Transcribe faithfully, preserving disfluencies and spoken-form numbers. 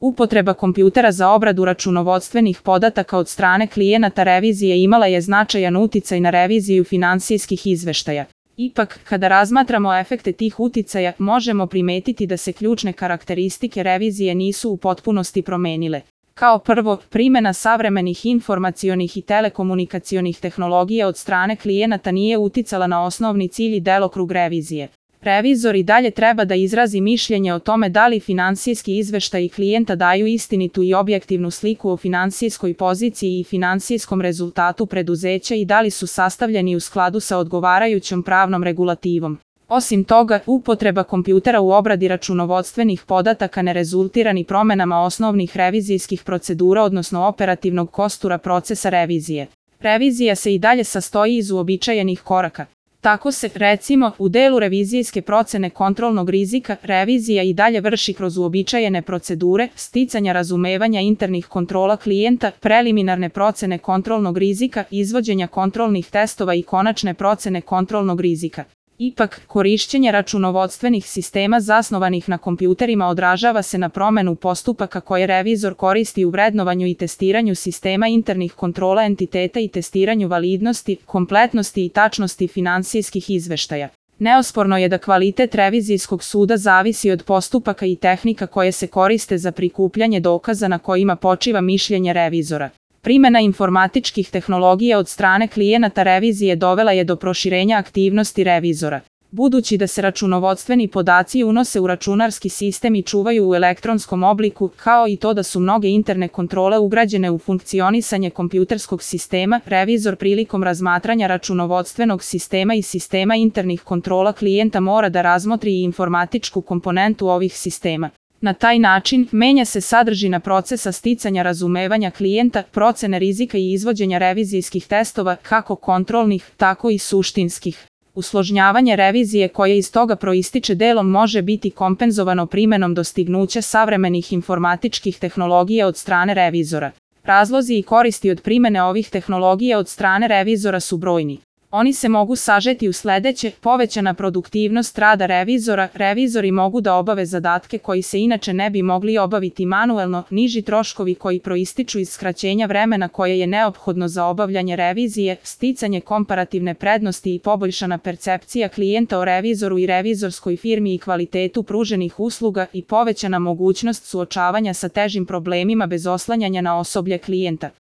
Upotreba kompjutera za obradu računovodstvenih podataka od strane klijenata revizije imala je značajan uticaj na reviziju finansijskih izveštaja. Ipak, kada razmatramo efekte tih uticaja, možemo primetiti da se ključne karakteristike revizije nisu u potpunosti promenile. Kao prvo, primjena savremenih informacionih i telekomunikacionih tehnologija od strane klijenata nije uticala na osnovni cilj i delokrug revizije. Revizor i dalje treba da izrazi mišljenje o tome da li finansijski izveštaji klijenta daju istinitu i objektivnu sliku o finansijskoj poziciji i finansijskom rezultatu preduzeća i da li su sastavljeni u skladu sa odgovarajućom pravnom regulativom. Osim toga, upotreba kompjutera u obradi računovodstvenih podataka ne rezultira ni promenama osnovnih revizijskih procedura odnosno operativnog kostura procesa revizije. Revizija se i dalje sastoji iz uobičajenih koraka. Tako se, recimo, u delu revizijske procene kontrolnog rizika, revizija i dalje vrši kroz uobičajene procedure, sticanja razumevanja internih kontrola klijenta, preliminarne procene kontrolnog rizika, izvođenja kontrolnih testova i konačne procene kontrolnog rizika. Ipak, korišćenje računovodstvenih sistema zasnovanih na kompjuterima odražava se na promenu postupaka koje revizor koristi u vrednovanju i testiranju sistema internih kontrola entiteta i testiranju validnosti, kompletnosti i tačnosti finansijskih izveštaja. Neosporno je da kvalitet revizijskog suda zavisi od postupaka i tehnika koje se koriste za prikupljanje dokaza na kojima počiva mišljenje revizora. Primjena informatičkih tehnologija od strane klijenata revizije dovela je do proširenja aktivnosti revizora. Budući da se računovodstveni podaci unose u računarski sistem i čuvaju u elektronskom obliku, kao i to da su mnoge interne kontrole ugrađene u funkcionisanje kompjuterskog sistema, revizor prilikom razmatranja računovodstvenog sistema i sistema internih kontrola klijenta mora da razmotri i informatičku komponentu ovih sistema. Na taj način, menja se sadržina procesa sticanja razumevanja klijenta, procene rizika i izvođenja revizijskih testova, kako kontrolnih, tako i suštinskih. Usložnjavanje revizije koje iz toga proističe delom može biti kompenzovano primjenom dostignuća savremenih informatičkih tehnologija od strane revizora. Razlozi i koristi od primjene ovih tehnologija od strane revizora su brojni. Oni se mogu sažeti u sledeće: povećana produktivnost rada revizora, revizori mogu da obave zadatke koji se inače ne bi mogli obaviti manuelno, niži troškovi koji proističu iz skraćenja vremena koje je neophodno za obavljanje revizije, sticanje komparativne prednosti i poboljšana percepcija klijenta o revizoru i revizorskoj firmi i kvalitetu pruženih usluga i povećana mogućnost suočavanja sa težim problemima bez oslanjanja na osoblje klijenta.